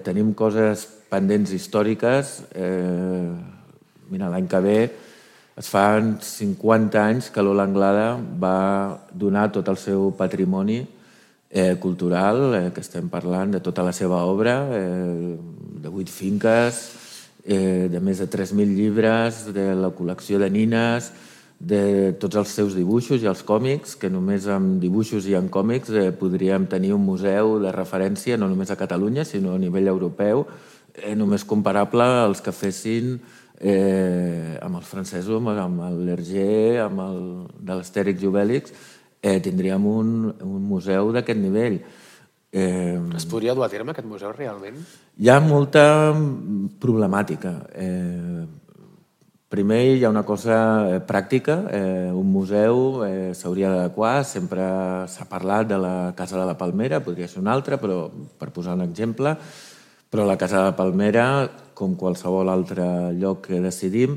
Tenim coses pendents històriques. Mira, l'any que ve es fan 50 anys que Lola Anglada va donar tot el seu patrimoni cultural, que estem parlant de tota la seva obra, de 8 finques, de més de 3.000 llibres, de la col·lecció de nines, de tots els seus dibuixos i els còmics, que només amb dibuixos i amb còmics podríem tenir un museu de referència no només a Catalunya, sinó a nivell europeu, només comparable als que fessin amb els francesos, amb l'Hergé, amb el de l'Astèrix i Obèlix, tindríem un museu d'aquest nivell. Es podria dur a terme aquest museu realment? Hi ha molta problemàtica. Primer hi ha una cosa pràctica. Un museu s'hauria d'adequar. Sempre s'ha parlat de la Casa de la Palmera, podria ser una altra, però per posar un exemple. Però la Casa de la Palmera, com qualsevol altre lloc que decidim,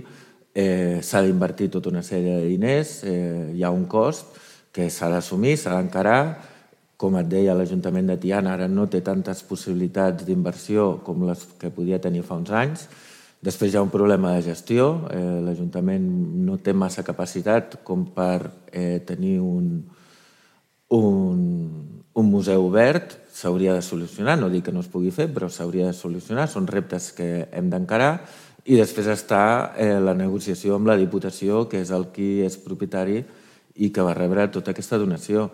s'ha d'invertir tota una sèrie de diners, hi ha un cost que s'ha d'assumir, s'ha d'encarar. Com et deia, l'Ajuntament de Tiana ara no té tantes possibilitats d'inversió com les que podia tenir fa uns anys. Després hi ha un problema de gestió. L'Ajuntament no té massa capacitat com per tenir un museu obert. S'hauria de solucionar, no dic que no es pugui fer, però s'hauria de solucionar. Són reptes que hem d'encarar. I després està la negociació amb la Diputació, que és el qui és propietari i que va rebre tota aquesta donació.